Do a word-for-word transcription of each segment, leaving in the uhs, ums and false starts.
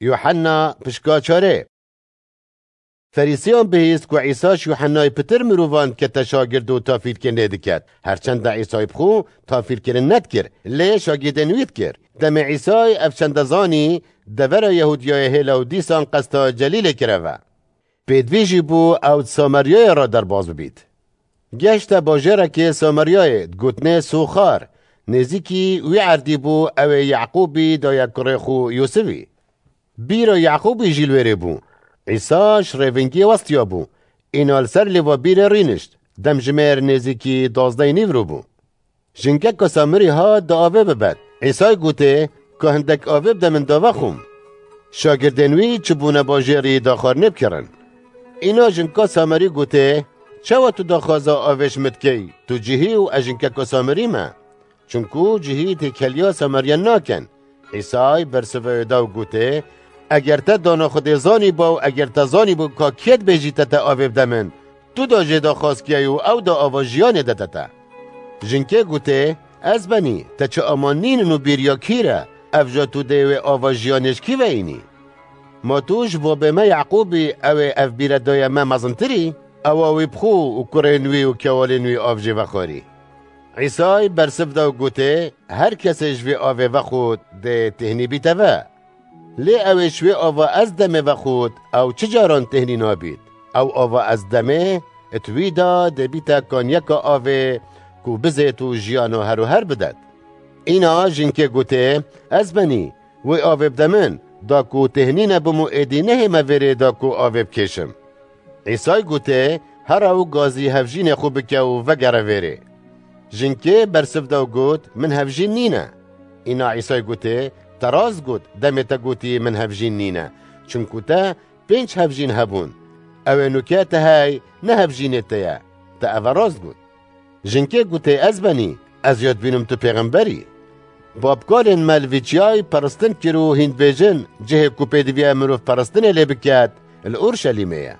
Yuhanna pişka çarê. Ferîsiyan bihîst ku Îsa ji Yuhannayê pitir mirovan dikete şagird û tafîrkirinê diket. Herçenda Îsay bi xwe tafîrkirin nedikir, lê şagirdên wî dikir. Demê Îsay ev çende zanî, devera Yehûdiyayê hêla û dîsan qesta Celîlê kireve. Pêdivî jî bû ew di Samaryayê re derbas bibît. Gehişte bajêrekê Samaryayê, digotinê Soxar, nêzîkî wî erdî bû, ew ê Yaqûbî daye kurê xwe Yûsifî. Bîra Yaqûbî jî li wêrê bû. Îsa ji rêvingiyê westiya bû. Îna li ser lêva bîrê rînişt. Demjimêr nêzîkî duwazdehê nîvro bû. Jinkeka Samirî hat da avê bibet. Îsay gotê, ka hindek avê bide min da vexwim. Şagirdên wî çûbûne bajêrî da xwarinê bikirin. Îna jinka Samirî gotê, çawa tu daxwaza avê ji min dikey? Tu cihî û ez jinkeka Samirî me. Çunku cihî têkiliya Samariyan nakin. Îsay bersiva wê da û gotê, eger te dana Xwedê zanîba û eger te zanîbû ka kê dibêjî te te avê bide min, tu da jê daxwaz kiyayî û ew da ava jiyanê dide te. Jinkê gotê, ez benî, te çi aman nînin û bîriya kî re, ev ja tu dê wê ava jiyanê ji kî ve înî? Ma tu ji babê me Yaqûbî, ew ê ev bîre daye me, mezintir î? Ewa wî bi xwe û kurên wî û kewalên wî av jê vexwarî. Îsay bersiv da û gotê, her kesê ji vê avê vexwit dê têhnî bîte ve. Lê ew ê ji wê ava ez demê vexwit, ew çi caran têhnî nabît. Ew ava ez demê, it wî da dê bîte kaniyeka avê ku bizêt û jiyana her û her bidet. Îna jinkê gotê, ez benî, wê avê bide min, da ku têhnî nebim û êdî nehême vêrê da ku avê bikêşim. Îsay gotê, here û gazî hevjînê xwe bike û vegere vêrê. Jinkê bersiv da û got, min hevjîn nîne. Îna Îsay gotê, te rast got, demê te gotî min hevjîn nîne. Çunku te pênc hevjîn hebûn. Ew ê nûke te hey, ne hevjînê te ye. Te eve rast got. Jinkê gotê, ez benî, ez ya dibînim tu pêxember î. Babkalên me li vî çiyayê peristin kir û hîn dibêjin, cihê ku pêdiviye mirov peristinê lê biket, li Urşelîmê ye.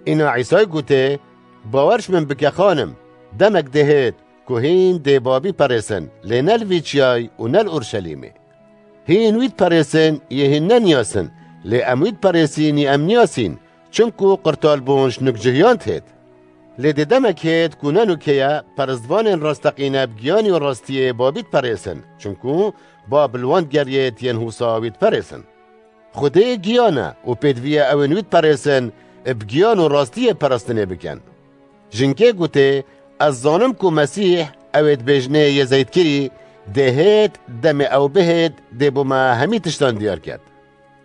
Îna Îsay gotê, bawer ji min bike xanim, demek dê hêt ku hîn dê babî perêsin, lê ne li vî çiyayê û ne li Urşelîmê. Hîn wî diperêsin, yê hîn neniyasin, lê em wî diperêsîn, yê em niyasîn, çimku qirtalbûn ji nûkcihiyan dihêt. Lê dê demek hêt ku ne nûke ye, peristvanên rasteqîne bi giyanî û rastiyê babî diperêsin, çimku bab li wan digeriyêt yên hûsa wî diperêsin. Xwedê giyan e û pêdiviye ew ên wî diperêsin, bi giyan û rastiyê peristinê bikin. Jinkê gotê, ez zanim ku Mesîh, ew ê dibêjinê Yezeytkirî, dê hêt, demê ew bihêt, dê bo me hemî tiştan diyar ket.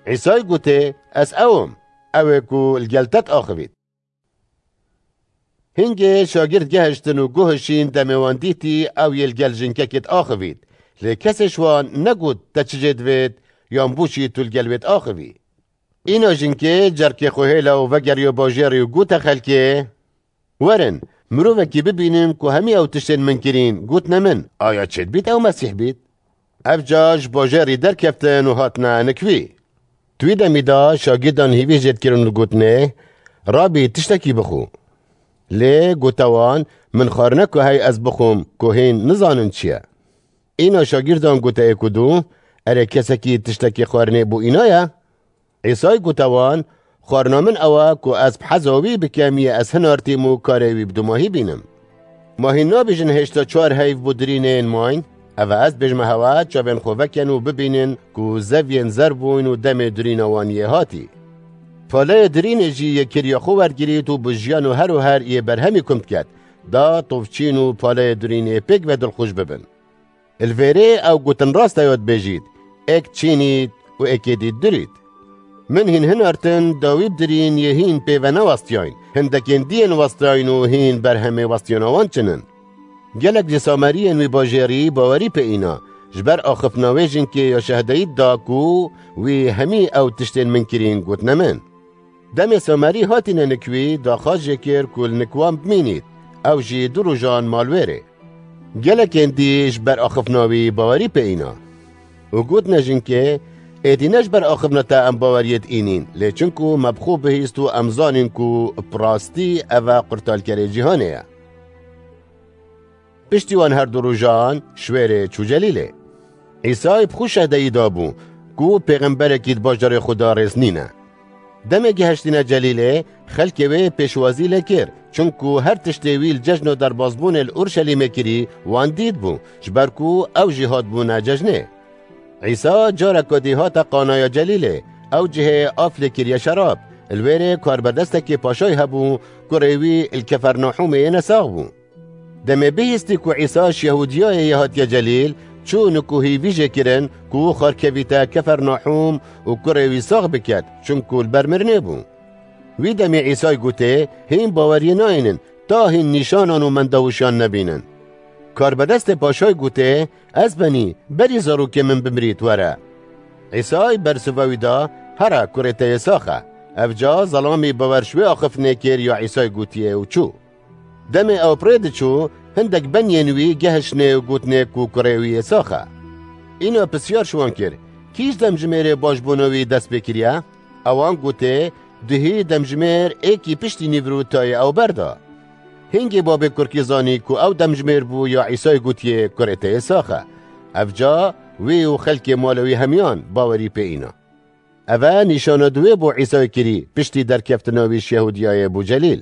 Îsay gotê, ez ew im, ew ê ku li gel te diaxivît. Hingê şagird gehiştin û guhişîn demê wan dîtî, ew yê li gel jinkekê diaxivît. Lê kesê ji wan negot, te çi jê divêt, yan bo çi tu li gel wê diaxivî. Îna jinkê cerkê xwe hêla û vegeriya bajêrî û gote xelkê, werin, mirovekî bibînin ku hemî ew tiştên min kirîn, gotine min, aya çêdibît ew Mesîh bît? Ev ca ji bajêrî derkeftin û hatine nik wî. Di wî demî de şagirdan hîvî jê dikirin û gotinê, Rabî, tiştekî bixwe. Lê gote wan, min xwarine ku hey ez bixwim, ku hîn nizanin çi ye. Îna şagirdan gote êk û du, erê kesekî tiştekî xwarinê bo îna ye? Îsay gote wan, xwarina min ew e ku ez bi heza wî bikem, yê ez hinartîm û karê wî bi dumahî bînim. Ma hîn nabêjin hêşta çar heyv bo dirînên mayîn? Ev e ez dibêjime hewe, çavên xwe vekin û bibînin ku zeviyên zer bûyn û demê dirîna wan yê hatî. Paleyê dirînê jî yê kiriya xwe wergirît û bi jiyan û her û her yê berhemî kum diket, da tovçîn û paleyê dirînê pêk ve dilxweş bibin. Li vêrê ew gotin rast e ya dibêjît, êk çînît û êkê dî dirît. Min hîn hinartin, dawî bi dirîn yê hîn pê ve newestiyayîn, hindekên dî yên westiyayîn û hîn berhemê westiyana wan çin in. Gelek ji Sameriyên wî bajêrî bawerî pê îna, ji ber axiftina wê jinkê ya şehdeyî da ku wî hemî ew tiştên min kirîn gotine min. Demê Samerî hatîne nik wî, daxwaz jê kir ku li nik wan bimînît, ew jî du rojan mal wêrê. Gelekên dî ji ber axiftina wî bawerî pê îna. Û gotine jinkê, êdî ne ji ber axiftina te em baweriyê diînîn, lê çinku me bi xwe bihîst û em zanîn ku bi rastî ev e qurtalkerê cîhanê ye. Piştî wan her du rojan ji wêrê çû Celîlê. Îsay bi xwe şehdeyî dabû. ku pêxemberekî di bajarê xwe de rêz nîne. Demê gihiştîne Celîlê, xelkê wê pêşwazî lê kir, çunku her tiştê wî li cejno derbazbûnê li Urşelîmê kirî, wan dît bû, ji ber ku ew jî hatbûne cejnê. Îsa careke dî hate Qanaya Celîlê, ew cihê av lê kiriye şerab, li wêrê karbedestekê paşayî hebû, kurê wî li Kefernahûmê yê nesax bû. Demê bihîstî ku Îsa ji Yehûdiyayê yê hatiye Celîl, çû nikuhî vî jê kirin ku xerkevîte Kefernahûm û kurê wî sax biket, çunku li ber mirinê bû. Wî demê Îsay gotê, hîn baweriyê nayînin, ta hîn nîşanan û mendewişiyan nebînin. Karbedestê paşayî gotê, ez benî, berî zarokê min bimirît were. Îsay bersiva wî da, here, kurê te yê sax e. Evca zelamî bawer ji wê axiftinê kir ya Îsay gotiye û çû. Demê ew bi rê diçû, hindek beniyên wî gehiştinê û gotinê ku kurê wî yê sax e. Îna pisyar ji wan kir, kî ji demjimêrê baş bona wî dest pê kiriye? Ewan gotê, duhî demjimêr êkî piştî nîvro tayê ew berda. Hingê babê kurkî zanî ku ew demjimêr bû ya Îsay gotiye kurê te yê sax e. Evca wî û xelkê mala wî hemiyan bawerî pê îna. Eve nîşana duwê bo Îsay kirî piştî derkeftina wî ji Yehûdiyayê bo Celîl.